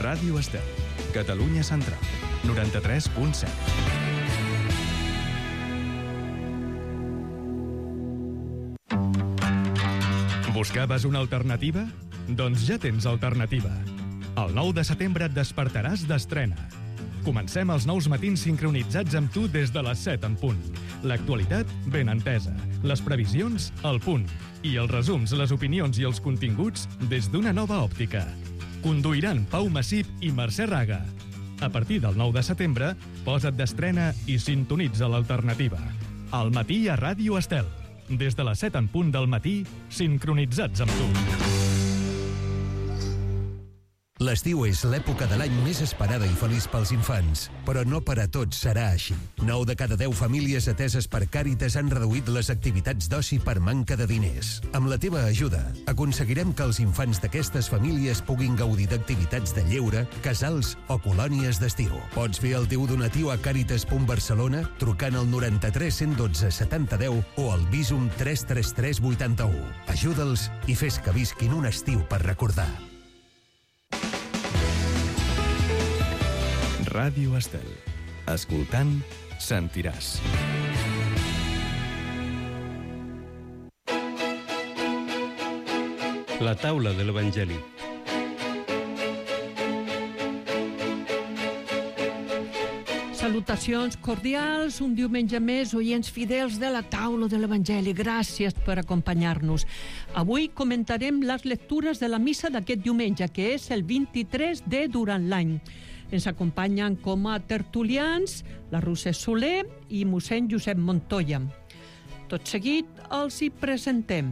Ràdio Estel, Catalunya Central, 93.7. Buscaves una alternativa? Doncs ja tens alternativa. El 9 de setembre et despertaràs d'estrena. Comencem els nous matins sincronitzats amb tu des de les 7 en punt. L'actualitat ben entesa, les previsions al punt i els resums, les opinions i els continguts des d'una nova òptica. Conduiran Pau Massip i Mercè Raga. A partir del 9 de setembre, posa't d'estrena i sintonitza l'alternativa. Al matí a Ràdio Estel. Des de les 7 en punt del matí, sincronitzats amb tu. L'estiu és l'època de l'any més esperada i feliç pels infants, però no per a tots serà així. 9 de cada 10 famílies ateses per Càritas han reduït les activitats d'oci per manca de diners. Amb la teva ajuda, aconseguirem que els infants d'aquestes famílies puguin gaudir d'activitats de lleure, casals o colònies d'estiu. Pots fer el teu donatiu a Càritas.Barcelona trucant al 93 112 70 10 o al Visum 333 81. Ajuda'ls i fes que visquin un estiu per recordar. Ràdio Estel. Escoltant, sentiràs. La taula de l'Evangeli. Salutacions cordials, un diumenge més, oients fidels de la taula de l'Evangeli. Gràcies per acompanyar-nos. Avui comentarem les lectures de la missa d'aquest diumenge, que és el 23 de durant l'any. Ens acompanyen com a tertulians la Roser Soler i mossèn Josep Montoya. Tot seguit els hi presentem.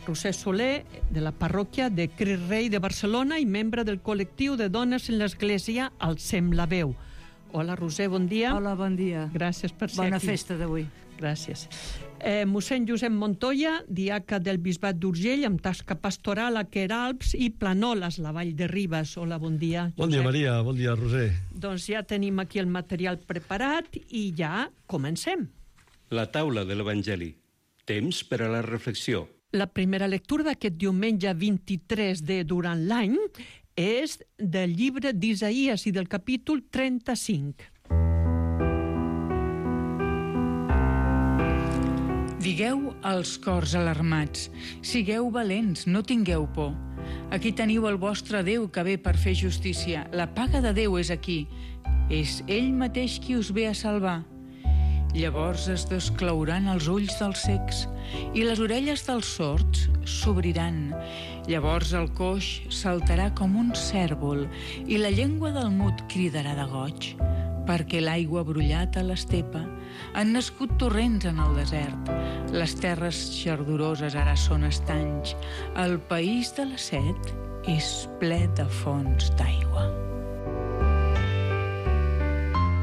Roser Soler, de la parròquia de Crist Rei de Barcelona i membre del col·lectiu de dones en l'Església Alcem la Veu. Hola, Roser, bon dia. Hola, bon dia. Gràcies per ser Bona aquí. Bona festa d'avui. Gràcies. Mossèn Josep Montoya, diaca del Bisbat d'Urgell, amb tasca pastoral a Queralbs i Planoles, la Vall de Ribes. Hola, bon dia, Josep. Bon dia, Maria. Bon dia, Roser. Doncs ja tenim aquí el material preparat i ja comencem. La taula de l'Evangeli. Temps per a la reflexió. La primera lectura d'aquest diumenge 23 de durant l'any és del llibre d'Isaïes i del capítol 35. Digueu als cors alarmats, sigueu valents, no tingueu por. Aquí teniu el vostre Déu que ve per fer justícia. La paga de Déu és aquí. És ell mateix qui us ve a salvar. Llavors es desclouran els ulls dels cecs i les orelles dels sords s'obriran. Llavors el coix saltarà com un cèrvol i la llengua del mut cridarà de goig, perquè l'aigua ha brollat a l'estepa, han nascut torrents en el desert. Les terres xardoroses ara són estanys. El país de la set és ple de fonts d'aigua.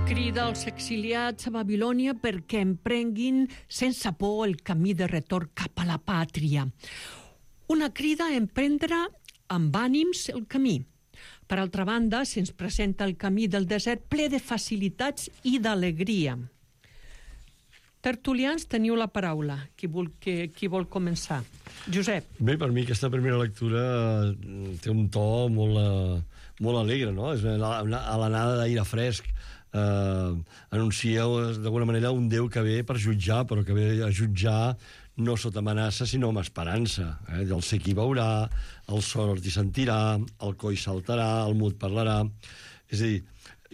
Crida als exiliats a Babilònia perquè emprenguin sense por el camí de retorn cap a la pàtria. Una crida a emprendre amb ànims el camí. Per altra banda, se'ns presenta el camí del desert ple de facilitats i d'alegria. Tertulians, teniu la paraula. Qui vol començar? Josep. Bé, per mi aquesta primera lectura té un to molt alegre, no? És a l'anada d'aire fresc. Anuncia d'alguna manera un Déu que ve per jutjar, però que ve a jutjar no sota amenaça, sinó amb esperança. El cec hi veurà, el sord hi sentirà, el coll saltarà, el mut parlarà. És a dir,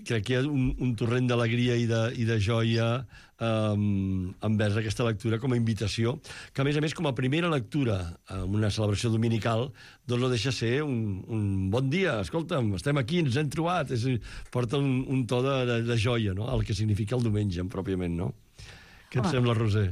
crec que hi ha un torrent d'alegria i de joia envers aquesta lectura com a invitació, que a més com a primera lectura en una celebració dominical, doncs no deixa ser un bon dia, escolta'm, estem aquí, ens hem trobat. Porta un to de joia, no?, el que significa el diumenge pròpiament, no? Què et sembla, Roser?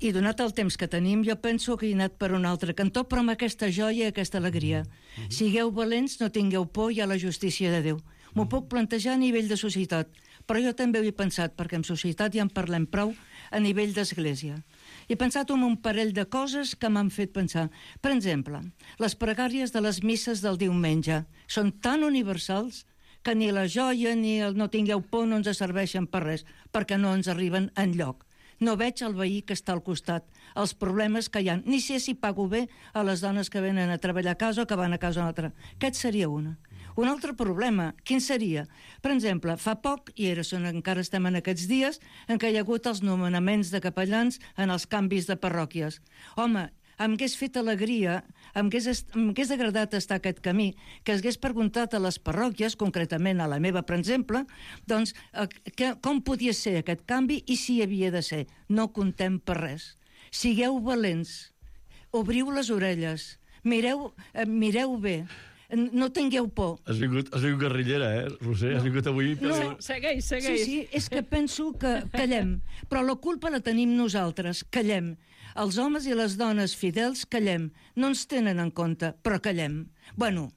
I donat el temps que tenim, jo penso que he anat per un altre cantó, però amb aquesta joia i aquesta alegria. Sigueu valents, no tingueu por, hi ha la justícia de Déu. M'ho puc plantejar a nivell de societat, però jo també ho he pensat, perquè en societat ja en parlem prou a nivell d'església. He pensat en un parell de coses que m'han fet pensar. Per exemple, les pregàries de les misses del diumenge són tan universals que ni la joia ni el no tingueu por no ens serveixen per res, perquè no ens arriben enlloc. No veig el veí que està al costat, els problemes que hi ha. Ni sé si pago bé a les dones que venen a treballar a casa o que van a casa una altra. Aquest seria una. Un altre problema, quin seria? Per exemple, fa poc, i encara estem en aquests dies, en què hi ha hagut els nomenaments de capellans en els canvis de parròquies. Home, em hagués fet alegria, em hagués agradat estar aquest camí, que hagués preguntat a les parròquies, concretament a la meva, per exemple, doncs, com podia ser aquest canvi i si hi havia de ser. No contem per res. Sigueu valents, obriu les orelles, mireu bé, no tingueu por. Has vingut guerrillera, Roser? Has vingut avui... No, segueix. Sí, és que penso que callem, però la culpa la tenim nosaltres, callem. Els homes i les dones fidels callem. No ens tenen en compte, però callem. Bueno,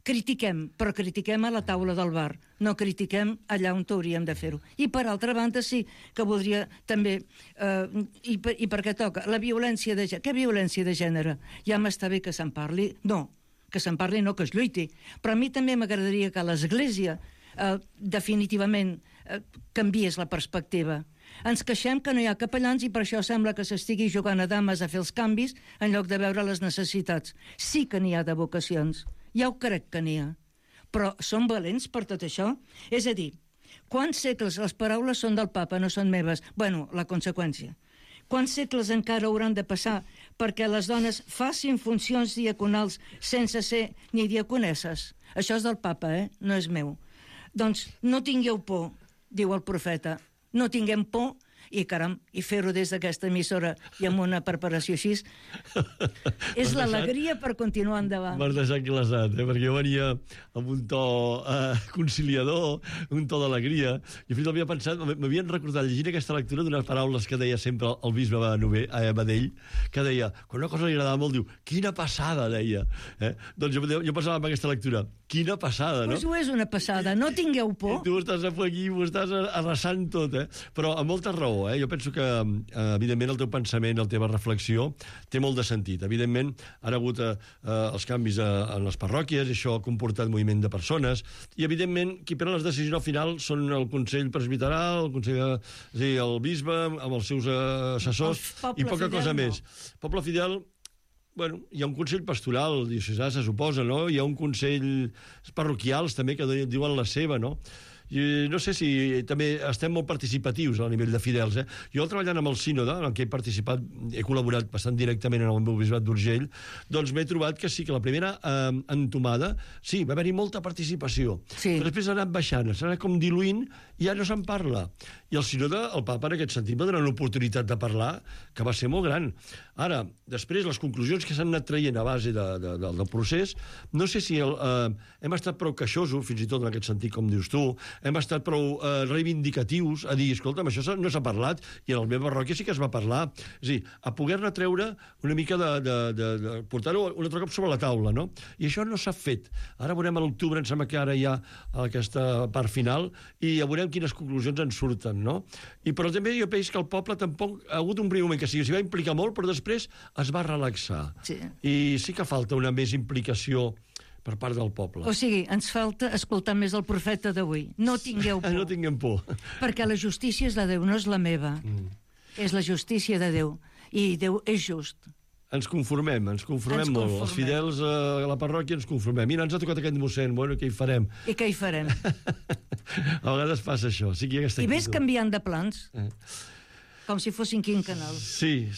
critiquem, però critiquem a la taula del bar. No critiquem allà on hauríem de fer-ho. I per altra banda sí que voldria també, i perquè toca, la violència de gènere. Què violència de gènere? Ja m'està bé que se'n parli. No, que se'n parli, no que es lluiti. Però a mi també m'agradaria que l'Església definitivament canviés la perspectiva. Ens queixem que no hi ha capellans i per això sembla que s'estigui jugant a dames a fer els canvis en lloc de veure les necessitats. Sí que n'hi ha de vocacions. Ja ho crec que n'hi ha. Però són valents per tot això? És a dir, quants segles les paraules són del papa, no són meves? Bueno, la conseqüència. Quants segles encara hauran de passar perquè les dones facin funcions diaconals sense ser ni diaconesses? Això és del papa, no és meu. Doncs no tingueu por, diu el profeta. No tinguem por i, caram, i fer-ho des d'aquesta emissora i amb una preparació així és l'alegria per continuar endavant. M'has deixat glaçat, perquè jo venia amb un to conciliador, un to d'alegria, i fins havia pensat, m'havien recordat llegint aquesta lectura d'unes paraules que deia sempre el bisbe Badell, que deia, quan una cosa li agradava molt, diu, quina passada, deia. Doncs jo pensava en aquesta lectura, quina passada, no? Pues ho és una passada, no tingueu por. Tu estàs aquí, ho estàs arrasant tot, però amb molta raó. Jo penso que, evidentment, el teu pensament, la teva reflexió, té molt de sentit. Evidentment, han hagut els canvis en les parròquies, i això ha comportat moviment de persones, i, evidentment, qui pren les decisions al final són el Consell Presbiteral, el bisbe, amb els seus assessors, i poca cosa més. Poble fidel... Bueno, hi ha un consell pastoral diocesà, se suposa, no? Hi ha un consell parroquials, també, que diuen la seva, no? I no sé si també estem molt participatius a nivell de fidels. Jo, treballant amb el sínode, en què he participat, he col·laborat bastant directament en el meu bisbat d'Urgell, doncs m'he trobat que sí, que la primera entomada, sí, va haver-hi molta participació. Sí. Però després ha anat baixant, s'ha anat com diluint, i ja no se'n parla. I el sínode, el papa, en aquest sentit, va donar l'oportunitat de parlar, que va ser molt gran. Ara, després, les conclusions que s'han anat traient a base del procés, no sé si hem estat prou queixosos, fins i tot en aquest sentit, com dius tu, hem estat prou reivindicatius a dir, escolta'm, això no s'ha parlat, i en la meva parròquia sí que es va parlar. És a dir, a poder-ne treure una mica de portar-ho un altre cop sobre la taula, no? I això no s'ha fet. Ara veurem a l'octubre, em sembla que ara hi ha aquesta part final, i ja veurem quines conclusions en surten, no? Però també jo penso que el poble tampoc ha hagut un primer moment que s'hi va implicar molt, però després es va relaxar. Sí. I sí que falta una més implicació per part del poble. O sigui, ens falta escoltar més el profeta d'avui. No tingueu por. No tinguem por. Perquè la justícia és de Déu, no és la meva. És la justícia de Déu. I Déu és just. Ens conformem molt. Els fidels a la parròquia ens conformem. Mira, ens ha tocat aquest mossèn, bueno, què hi farem? I què hi farem? A vegades passa això. Sí que hi ha aquesta I ves canviant de plans. Com si fossin quinquenals. Sí.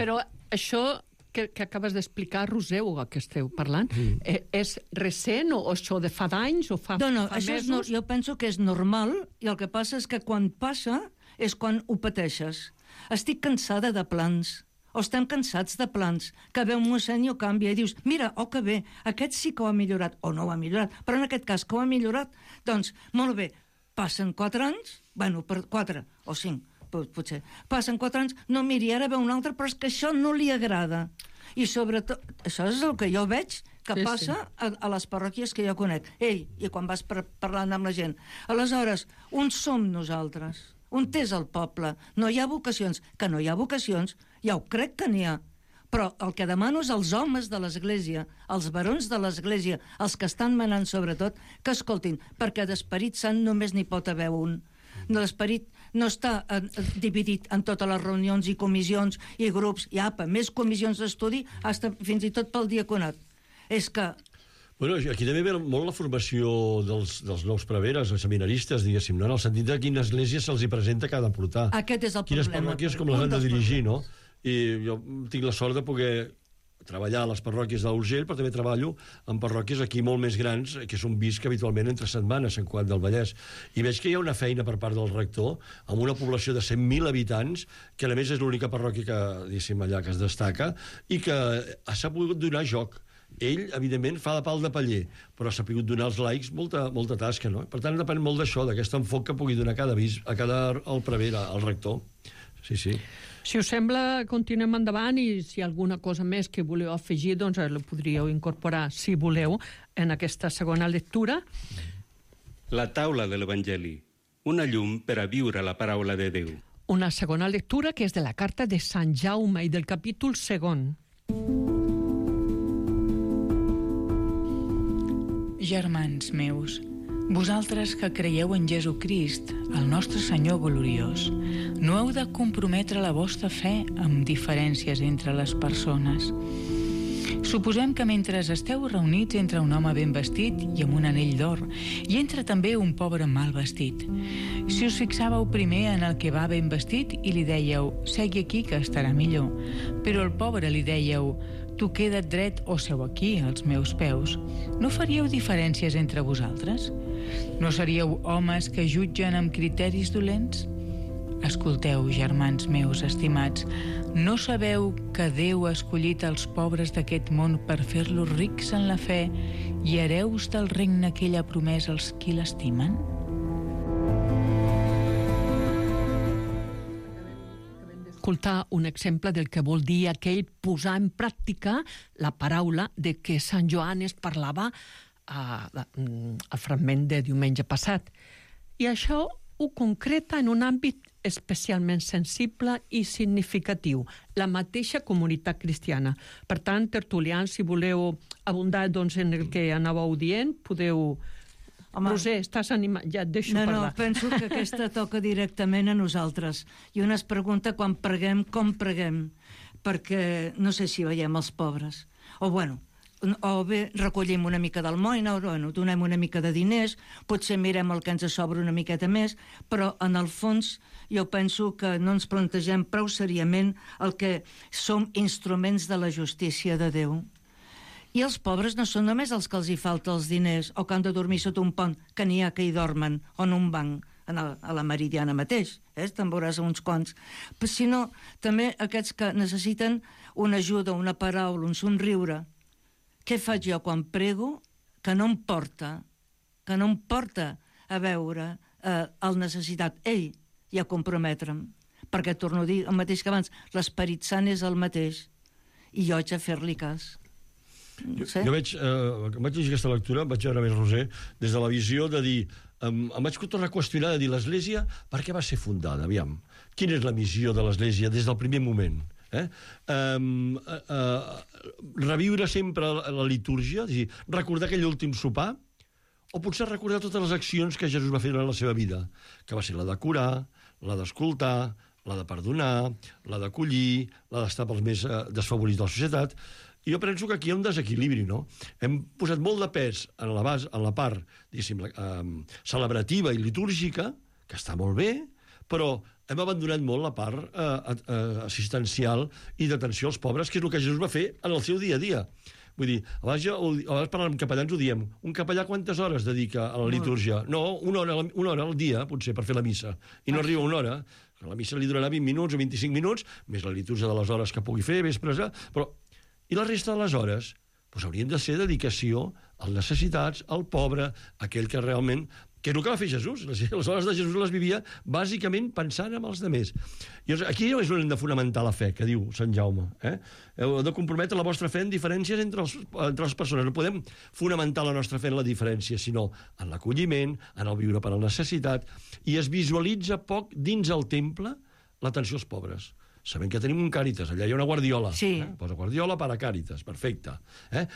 Però això que acabes d'explicar, Roser, o que esteu parlant, és recent o això de fa d'anys o fa mesos? Jo penso que és normal, i el que passa és que quan passa és quan ho pateixes. Estic cansada de plans. O estem cansats de plans, que ve un mossèn i ho canvia i dius, mira, que bé, aquest sí que ho ha millorat, o no ho ha millorat, però en aquest cas que ho ha millorat, doncs, molt bé, passen 4 anys, bueno, per 4 o 5, potser, passen 4 anys, no, miri, ara ve un altre, però és que això no li agrada. I sobretot, això és el que jo veig que passa a les parròquies que jo conec. I quan vas parlant amb la gent. Aleshores, on som nosaltres? On és el poble? No hi ha vocacions. Que no hi ha vocacions, ja ho crec que n'hi ha. Però el que demano és als homes de l'Església, als barons de l'Església, els que estan manant sobretot, que escoltin, perquè d'Esperit Sant només n'hi pot haver un. L'esperit no està dividit en totes les reunions i comissions i grups, i més comissions d'estudi, fins i tot pel diaconat. És que... Bueno, aquí també ve molt la formació dels nous preveres, els seminaristes, diguéssim, no? En el sentit de quina església se'ls hi presenta que ha de portar. Aquest és el quines problema. Quines parròquies com les han de dirigir, no? I jo tinc la sort de poder treballar a les parròquies d'Urgell, però també treballo en parròquies aquí molt més grans, que són visc habitualment entre setmanes, Sant Cugat del Vallès. I veig que hi ha una feina per part del rector, amb una població de 100.000 habitants, que a més és l'única parròquia que, diguéssim, allà que es destaca, i que s'ha pogut donar joc. Ell, evidentment, fa de pal de paller, però s'ha pogut donar als laics molta tasca, no? Per tant, depèn molt d'això, d'aquest enfoc que pugui donar el prevere, al rector. Sí. Si us sembla, continuem endavant, i si hi ha alguna cosa més que voleu afegir, doncs la podríeu incorporar, si voleu, en aquesta segona lectura. La taula de l'Evangeli, una llum per a viure la paraula de Déu. Una segona lectura que és de la carta de Sant Jaume i del capítol 2. Germans meus, vosaltres que creieu en Jesucrist, el nostre Senyor gloriós, no heu de comprometre la vostra fe amb diferències entre les persones. Suposem que mentre esteu reunits entra un home ben vestit i amb un anell d'or, i entra també un pobre mal vestit. Si us fixàveu primer en el que va ben vestit i li dèieu, segui aquí que estarà millor, però al pobre li dèieu, tu queda't dret o seu aquí, als meus peus, no faríeu diferències entre vosaltres? No seríeu homes que jutgen amb criteris dolents? Escolteu, germans meus estimats, no sabeu que Déu ha escollit els pobres d'aquest món per fer-los rics en la fe i hereus del regne que ell ha promès als qui l'estimen? Escoltar un exemple del que vol dir aquell posar en pràctica la paraula de què Sant Joan es parlava al fragment de diumenge passat. I això ho concreta en un àmbit especialment sensible i significatiu, la mateixa comunitat cristiana. Per tant, tertulians, si voleu abundar en el que anàveu dient, podeu... Home, Roser, estàs animat? Ja et deixo parlar. No, penso que aquesta toca directament a nosaltres. I un es pregunta quan preguem, com preguem, perquè no sé si veiem els pobres. O bé recollim una mica d'almoina, o donem una mica de diners, potser mirem el que ens sobra una miqueta més, però en el fons jo penso que no ens plantegem prou seriament el que som instruments de la justícia de Déu. I els pobres no són només els que els hi falta els diners o que han de dormir sota un pont, que n'hi ha que hi dormen, o en un banc, a la Meridiana mateix, te'n veuràs uns quants, sinó també aquests que necessiten una ajuda, una paraula, un somriure. Què faig jo quan prego? Que no em porta a veure el necessitat, ell, i a comprometre'm. Perquè, torno a dir el mateix que abans, l'Esperit Sant és el mateix, i jo haig de fer-li cas. No sé. Jo vaig llegir aquesta lectura, vaig veure més Roser, des de la visió de dir, em vaig tornar a qüestionar de dir l'Església, per què va ser fundada? Aviam, quina és la missió de l'Església des del primer moment? Reviure sempre la litúrgia, és a dir, recordar aquell últim sopar, o potser recordar totes les accions que Jesús va fer en la seva vida, que va ser la de curar, la d'escoltar, la de perdonar, la d'acollir, la d'estar pels més desfavorits de la societat. I jo penso que aquí hi ha un desequilibri, no? Hem posat molt de pes en la part, diguéssim, celebrativa i litúrgica, que està molt bé, però hem abandonat molt la part assistencial i d'atenció als pobres, que és el que Jesús va fer en el seu dia a dia. Vull dir, a vegades parlant amb capellans ho diem, un capellà quantes hores dedica a la litúrgia? No, una hora al dia, potser, per fer la missa. I no arriba una hora. La missa li durarà 20 minuts o 25 minuts, més la litúrgia de les hores que pugui fer, vespres, però... I la resta de les hores haurien de ser dedicació als necessitats, al pobre, aquell que realment... Que és el que va fer Jesús. Les hores de Jesús les vivia bàsicament pensant en els altres. I aquí és on hem de fonamentar la fe, que diu Sant Jaume. Heu de comprometre la vostra fe en diferències entre les persones. No podem fonamentar la nostra fe en la diferència, sinó en l'acolliment, en el viure per a la necessitat, i es visualitza poc dins el temple l'atenció als pobres. Sabem que tenim un Càritas, allà hi ha una guardiola. Sí. Posa guardiola per a Càritas, perfecte.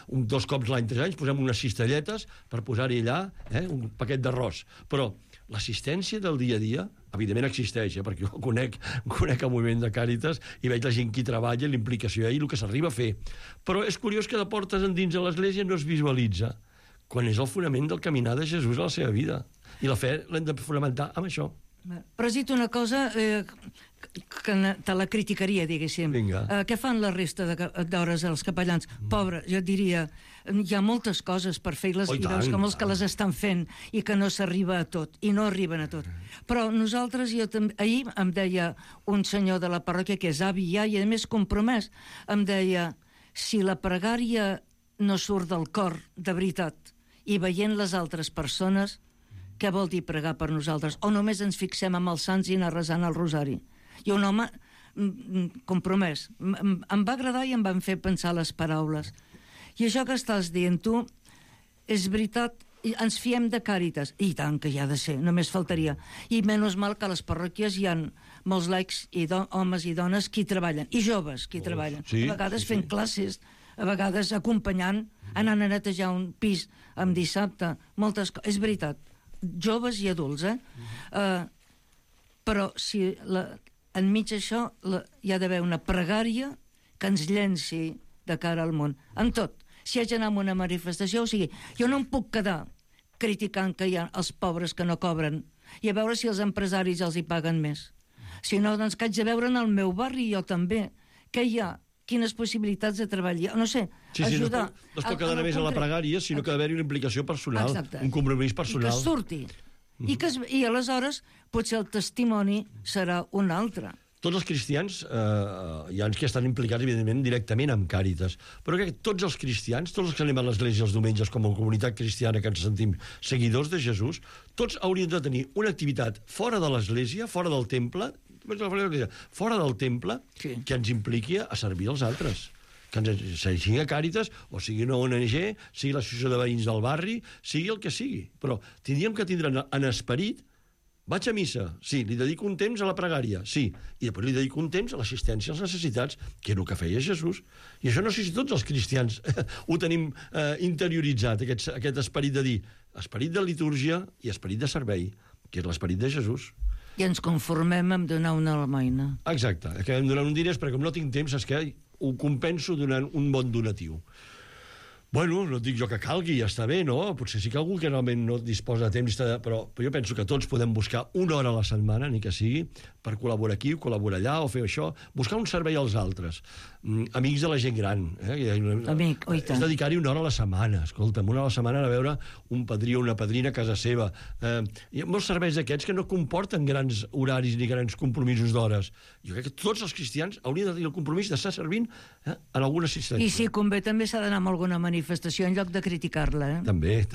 2 cops l'any, 3 anys, posem unes cistelletes per posar-hi allà un paquet d'arròs. Però l'assistència del dia a dia, evidentment existeix, perquè jo conec el moviment de Càritas i veig la gent que hi treballa, l'implicació i el que s'arriba a fer. Però és curiós que de portes endins a l'Església no es visualitza quan és el fonament del caminar de Jesús a la seva vida. I la fe l'hem de fonamentar amb això. Però has dit una cosa que te la criticaria, diguéssim. Què fan la resta d'hores els capellans? Pobre, jo diria, hi ha moltes coses per fer i veus que molts que les estan fent i que no s'arriba a tot, i no arriben a tot. Però nosaltres, ahir em deia un senyor de la parròquia, que és avi ja, i a més compromès, em deia, si la pregària no surt del cor de veritat i veient les altres persones, què vol dir pregar per nosaltres? O només ens fixem amb els sants i anar resant el rosari? I un home compromès. Em va agradar i em van fer pensar les paraules. I això que estàs dient tu, és veritat, ens fiem de Càritas. I tant que hi ha de ser, només faltaria. I menys mal que a les parròquies hi ha molts laics, homes i dones, qui treballen, i joves qui treballen. A vegades fent classes, a vegades acompanyant, anant a netejar un pis en dissabte, moltes coses. És veritat, joves i adults, però si enmig d'això hi ha d'haver una pregària que ens llenci de cara al món, en tot. Si haig d'anar a una manifestació, o sigui, jo no em puc quedar criticant que hi ha els pobres que no cobren i a veure si els empresaris els hi paguen més. Si no, doncs que haig de veure en el meu barri, jo també, què hi ha, quines possibilitats de treballar, no sé, ajudar. No es pot quedar només a la pregària, sinó que ha d'haver-hi una implicació personal, un compromís personal. I que surti. I aleshores potser el testimoni serà un altre. Tots els cristians, hi ha uns que estan implicats, evidentment, directament amb Càritas, però crec que tots els cristians, tots els que anem a l'església els diumenges com a comunitat cristiana que ens sentim seguidors de Jesús, tots haurien de tenir una activitat fora de l'església, fora del temple, que ens impliqui a servir els altres. Que sigui a Càritas, o sigui una ONG, sigui l'associació de veïns del barri, sigui el que sigui. Però tindríem que tindre en esperit. Vaig a missa, sí, li dedico un temps a la pregària, sí, i després li dedico un temps a l'assistència als necessitats, que és el que feia Jesús. I això no sé si tots els cristians ho tenim interioritzat, aquest esperit de dir, esperit de litúrgia i esperit de servei, que és l'esperit de Jesús. I ens conformem amb donar una almoina. Exacte, acabem donant un diners, perquè com no tinc temps, és que ho compenso donant un bon donatiu. Bueno, no dic jo que calgui, ja està bé, no? Potser sí que algú que realment no disposa de temps, però jo penso que tots podem buscar una hora a la setmana, ni que sigui, per col·laborar aquí, col·laborar allà, o fer això, buscar un servei als altres. Amics de la gent gran. Amic, oi tant. És dedicar-hi una hora a la setmana, escolta'm, una hora a la setmana a veure un padrí o una padrina a casa seva. Hi ha molts serveis d'aquests que no comporten grans horaris ni grans compromisos d'hores. Jo crec que tots els cristians haurien de tenir el compromís d'estar servint en alguna assistència. I si convé també s'ha d'anar amb alguna manifestació en lloc de criticar-la, També.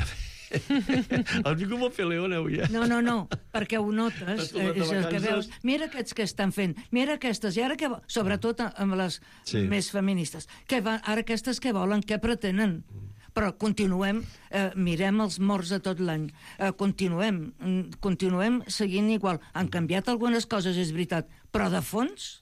El dic com a Peleón avui, No, perquè ho notes, és el que veus. Mira aquests que estan fent, mira aquestes, i ara què volen? Sobretot amb les més feministes. Ara aquestes què volen, què pretenen? Però continuem, mirem els morts de tot l'any, continuem seguint igual. Han canviat algunes coses, és veritat, però de fons...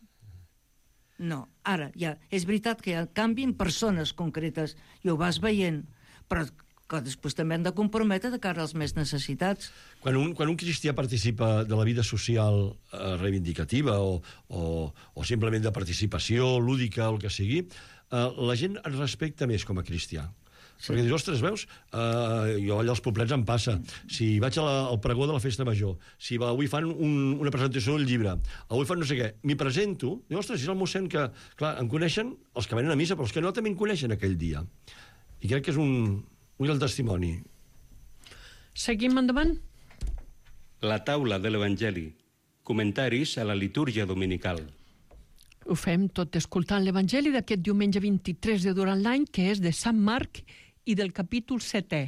No, ara ja, és veritat que hi ha canvi en persones concretes i ho vas veient, però que després també han de comprometre de cara als més necessitats. Quan un cristià participa de la vida social reivindicativa o simplement de participació lúdica o el que sigui, la gent es respecta més com a cristià. Sí. Perquè dius, ostres, veus? Jo allà als poblets em passa. Si vaig al pregó de la festa major, si avui fan una presentació del llibre, avui fan no sé què, m'hi presento, dius, ostres, és el mossèn que... Clar, em coneixen els que venen a missa, però els que no també em coneixen aquell dia. I crec que és un gran testimoni. Seguim endavant? La taula de l'Evangeli. Comentaris a la litúrgia dominical. Ho fem tot escoltant l'Evangeli d'aquest diumenge 23 de durant l'any, que és de Sant Marc i del capítol 7è.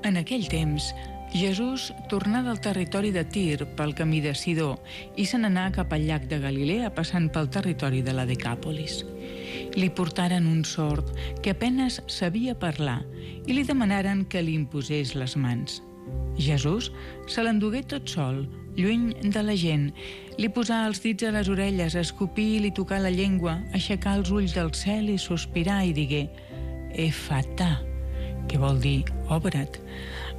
En aquell temps, Jesús tornà del territori de Tir pel camí de Sidó i se n'anà cap al llac de Galilea passant pel territori de la Decàpolis. Li portaren un sord que apenas sabia parlar i li demanaren que li imposés les mans. Jesús se l'endugué tot sol, lluny de la gent, li posà els dits a les orelles, escopí i li tocà la llengua, aixecà els ulls del cel i sospirà i digué «Efatà», que vol dir obre't.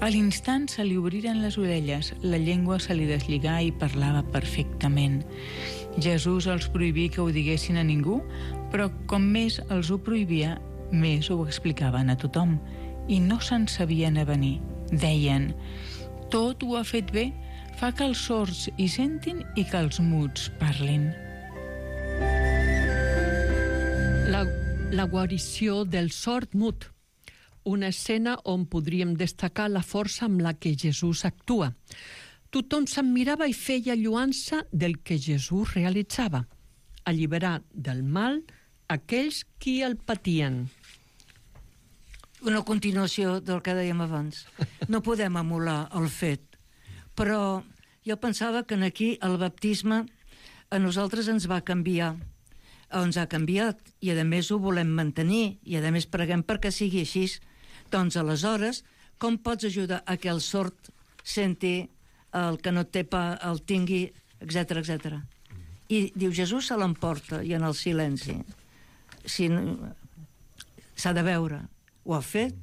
A l'instant se li obriren les orelles, la llengua se li deslligà i parlava perfectament. Jesús els prohibí que ho diguessin a ningú, però com més els ho prohibia, més ho explicaven a tothom, i no se'n sabien avenir. Deien: tot ho ha fet bé, fa que els sords hi sentin i que els muts parlin. La guarició del sord mut. Una escena on podríem destacar la força amb la que Jesús actua. Tothom se'n mirava i feia lloança del que Jesús realitzava, alliberar del mal aquells qui el patien. Una continuació del que dèiem abans. No podem emular el fet, però jo pensava que aquí el baptisme a nosaltres ens va canviar, ens ha canviat, i a més ho volem mantenir, i a més preguem perquè sigui així. Doncs aleshores, com pots ajudar a que el sord senti, el que no té pa el tingui, etc etc. I diu, Jesús se l'emporta, i en el silenci. S'ha de veure. Ho ha fet,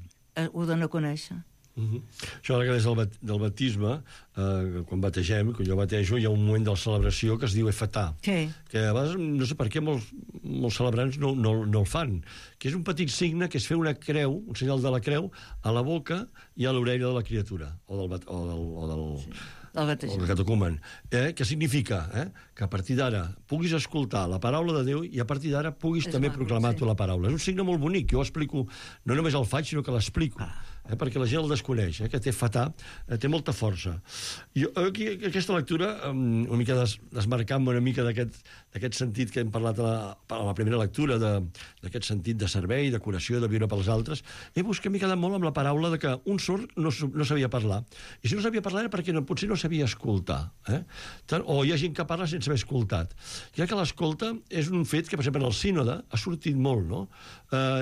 ho dona a conèixer. Això ara que des del baptisme, quan bategem, quan jo batejo, hi ha un moment de la celebració que es diu efatà, que a vegades no sé per què molts celebrants no el fan, que és un petit signe que és fer una creu, un senyal de la creu, a la boca i a l'orella de la criatura, o del catecumen, que significa que a partir d'ara puguis escoltar la paraula de Déu i a partir d'ara puguis també proclamar tu la paraula. És un signe molt bonic, jo ho explico, no només el faig, sinó que l'explico, perquè la gent el desconeix, que té fatà, té molta força. Jo aquí, aquesta lectura, una mica desmarcant-me una mica d'aquest sentit que hem parlat a la primera lectura, d'aquest sentit de servei, de curació, de viure pels altres, he buscat, m'he quedat molt amb la paraula de que un sord no sabia parlar. I si no sabia parlar era perquè potser no sabia escoltar. O hi ha gent que parla sense haver escoltat. Crec que l'escolta és un fet que, per exemple, en el sínode ha sortit molt, no?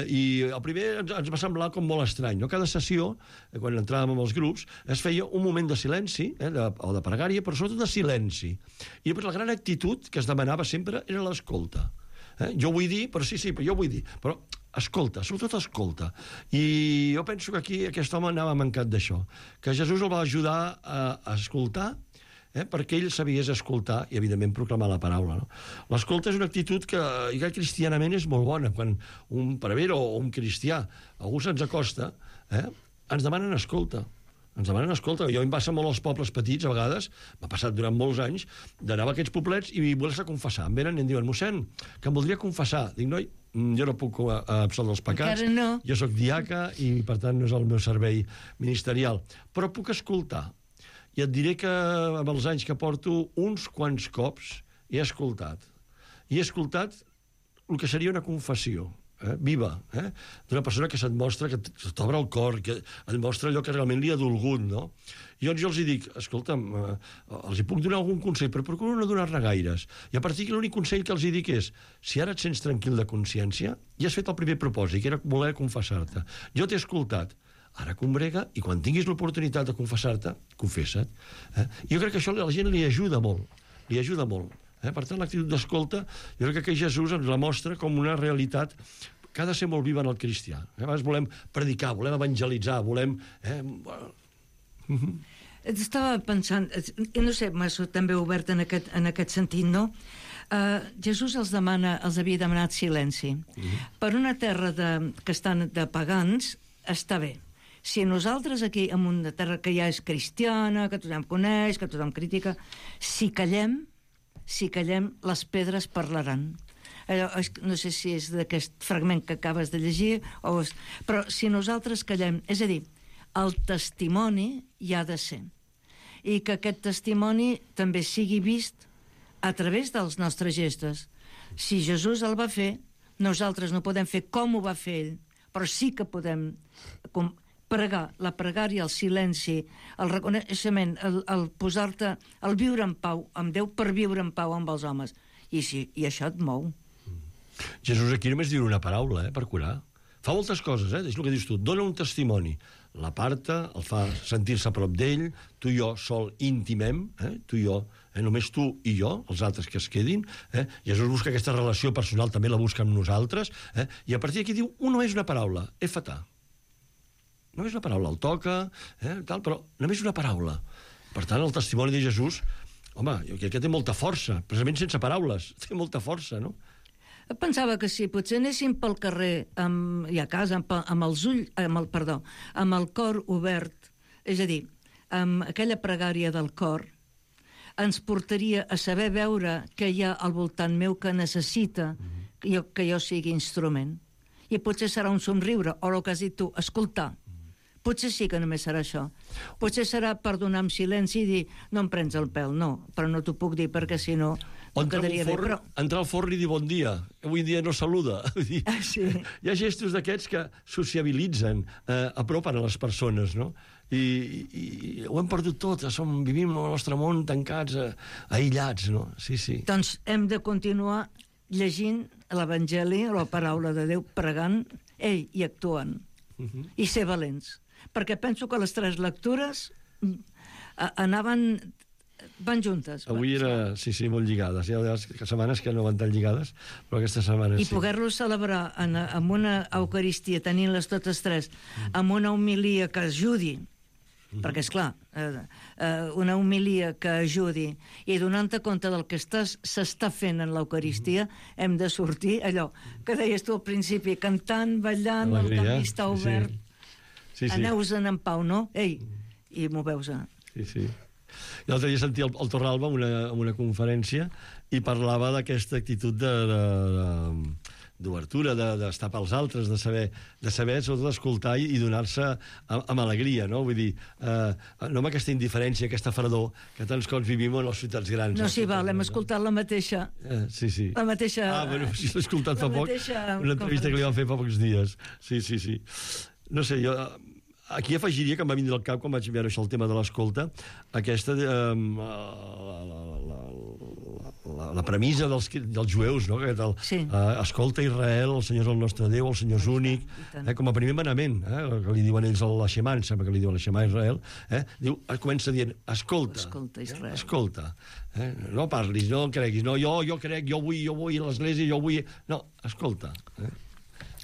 I el primer ens va semblar com molt estrany, no? Cada sessió, quan entràvem amb els grups, es feia un moment de silenci, o de pregària, però sobretot de silenci. I després la gran actitud que es demanava sempre era l'escolta. Jo vull dir, però sí, però jo vull dir. Però escolta, sobretot escolta. I jo penso que aquí aquest home anava mancat d'això, que Jesús el va ajudar a escoltar, perquè ell sabies escoltar i, evidentment, proclamar la paraula. No? L'escolta és una actitud que cristianament és molt bona. Quan un prevere o un cristià, algú se'ns acosta, ens demanen escolta. Ens demanen escolta. Jo em passa molt als pobles petits, a vegades, m'ha passat durant molts anys, d'anar a aquests poblets i voler-se confessar. Em venen i em diuen, mossèn, que em voldria confessar. Dic, noi, jo no puc absoldre els pecats. Encara no. Jo sóc diaca i, per tant, no és el meu servei ministerial. Però puc escoltar. I et diré que amb els anys que porto, uns quants cops he escoltat. I he escoltat el que seria una confessió viva, d'una persona que se't mostra, que t'obre el cor, que et mostra allò que realment li ha dolgut, no? I llavors jo els dic, escolta'm, els puc donar algun consell, però procuro no donar-ne gaires. I a partir d'aquí l'únic consell que els dic és, si ara et sents tranquil de consciència, ja has fet el primer propòsit, que era voler confessar-te. Jo t'he escoltat, ara combrega, i quan tinguis l'oportunitat de confessar-te, confessa't. Jo crec que això a la gent li ajuda molt, Per tant, l'actitud d'escolta, jo crec que Jesús ens la mostra com una realitat que ha de ser molt viva en el cristià. A vegades volem predicar, volem evangelitzar, volem... Estava pensant, no sé, m'ha també obert en aquest sentit, no? Jesús els havia demanat silenci. Per una terra que estan de pagans, està bé. Si nosaltres aquí, en una terra que ja és cristiana, que tothom coneix, que tothom critica, si callem, les pedres parlaran. No sé si és d'aquest fragment que acabes de llegir, però si nosaltres callem, és a dir, el testimoni hi ha de ser. I que aquest testimoni també sigui vist a través dels nostres gestos. Si Jesús el va fer, nosaltres no podem fer com ho va fer ell, però sí que podem pregar, la pregària, el silenci, el reconeixement, el posar-te, el viure en pau amb Déu per viure en pau amb els homes. I això et mou. Jesús aquí només diu una paraula, per curar. Fa moltes coses, és el que dius tu. Dona un testimoni. L'aparta, el fa sentir-se a prop d'ell, tu i jo sol intimem, tu i jo, només tu i jo, els altres que es quedin. Jesús busca aquesta relació personal, també la busca amb nosaltres, i a partir d'aquí diu, només una paraula, efatà. Només una paraula, el toca, tal, però només una paraula. Per tant, el testimoni de Jesús, home, jo crec que té molta força, precisament sense paraules, té molta força, no? Pensava que si potser anéssim pel carrer i a casa amb els ulls, amb el cor obert, és a dir, amb aquella pregària del cor, ens portaria a saber veure què hi ha al voltant meu que necessita que jo sigui instrument. I potser serà un somriure, o el que has dit tu, escoltar. Potser sí que només serà això. Potser serà per donar en silenci i dir, no em prens el pèl, no, però no t'ho puc dir perquè si no quedaria bé. Però... Entrar al forn i dir bon dia. Avui en dia no saluda. Sí. Hi ha gestos d'aquests que sociabilitzen, apropen a les persones, no? I ho hem perdut tot, vivim el nostre món tancats, aïllats, no? Sí, sí. Doncs hem de continuar llegint l'Evangeli, la paraula de Déu, pregant, i actuant. I ser valents. Perquè penso que les 3 lectures van juntes. Avui era, sí, molt lligades. Hi ha setmanes que no van tan lligades, però aquesta setmana sí. I poder-lo celebrar amb una Eucaristia, tenint-les totes 3, amb una homilia que ajudi, perquè, esclar, una homilia que ajudi i donant-te compte del que s'està fent en l'Eucaristia, hem de sortir allò que deies tu al principi, cantant, ballant, el camí està obert. Sí. Aneu-se'n en pau, no? I moveu-se. Sí. L'altre dia sentia el Torralba en una conferència i parlava d'aquesta actitud d'obertura, d'estar pels altres, de saber sobretot escoltar i donar-se amb alegria, no? Vull dir, no amb aquesta indiferència, aquesta fredor que tants cops vivim en les ciutats grans. No, sí, val, hem escoltat la mateixa... Sí. La mateixa... Bueno, sí, l'he escoltat fa poc, una entrevista que li van fer fa pocs dies. Sí. No sé, jo... Aquí afegiria que em va vindre al cap, quan vaig veure això, el tema de l'escolta, aquesta... la premissa dels jueus, no? Escolta Israel, el Senyor és el nostre Déu, el Senyor és únic, com a primer manament, que li diuen ells a la Shema, em sembla que li diuen la Shema a Israel, diu, comença dient, escolta Israel. Escolta. No parlis, no creguis, no, jo crec, jo vull a l'església, jo vull... No, escolta.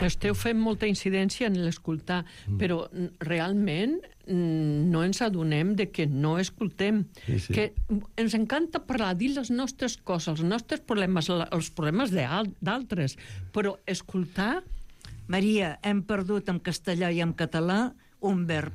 Esteu fent molta incidència en l'escoltar, però realment no ens adonem de que no escoltem. Sí. Que ens encanta parlar, dir les nostres coses, els nostres problemes, els problemes d'altres, però escoltar... Maria, hem perdut en castellà i en català un verb.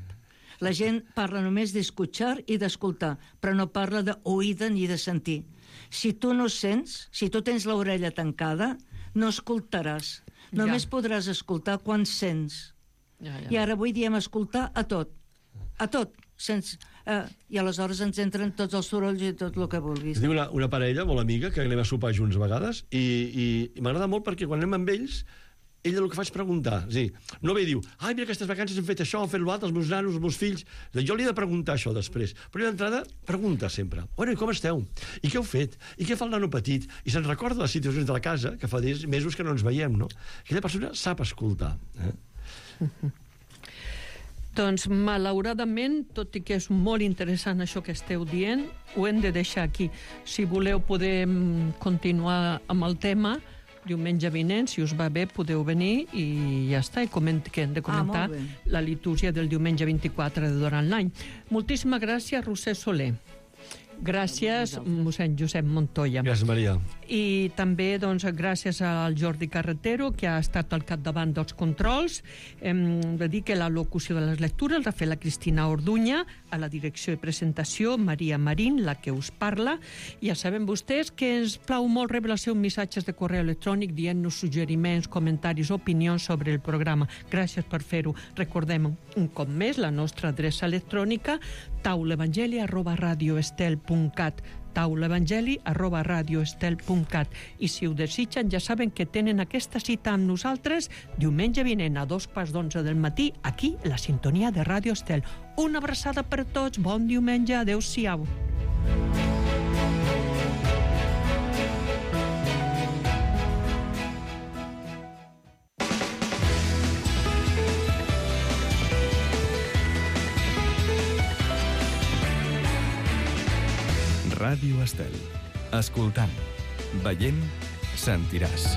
La gent parla només d'escoltar i d'escoltar, però no parla d'oïda ni de sentir. Si tu no sents, si tu tens l'orella tancada, no escoltaràs. Només podràs escoltar quan sents. I ara avui diem escoltar a tot. A tot. I aleshores ens entren tots els sorolls i tot el que vulguis. Diu una parella molt amiga que anem a sopar junts a vegades i m'agrada molt perquè quan anem amb ells ella el que fa és preguntar. És a dir, no ve i diu, mira, aquestes vacances hem fet això, hem fet l'altre, els meus nanos, els meus fills... Jo li he de preguntar això després. Però d'entrada, pregunta sempre. Bueno, i com esteu? I què heu fet? I què fa el nano petit? I se'n recorda les situacions de la casa, que fa mesos que no ens veiem, no? Aquella persona sap escoltar. Doncs, malauradament, tot i que és molt interessant això que esteu dient, ho hem de deixar aquí. Si voleu, podem continuar amb el tema. Diumenge vinent, si us va bé, podeu venir i ja està, que hem de comentar la litúrgia del diumenge 24 de durant l'any. Moltíssimes gràcies, Roser Soler. Gràcies, mossèn Josep Montoya. Gràcies, Maria. I també, doncs, gràcies al Jordi Carretero, que ha estat al capdavant dels controls. Hem de dir que la locució de les lectures l'ha fet la Cristina Orduña, a la direcció i presentació, Maria Marín, la que us parla. Ja saben vostès que ens plau molt rebre els seus missatges de correu electrònic dient-nos suggeriments, comentaris, opinions sobre el programa. Gràcies per fer-ho. Recordem un cop més la nostra adreça electrònica, taulevangeli@radioestel.cat, taulevangeli@radioestel.cat. I si ho desitgen, ja saben que tenen aquesta cita amb nosaltres diumenge vinent a 11:02 del matí, aquí, la sintonia de Ràdio Estel. Una abraçada per tots, bon diumenge, adeu-siau. Ràdio Estel. Escoltant, veient, sentiràs.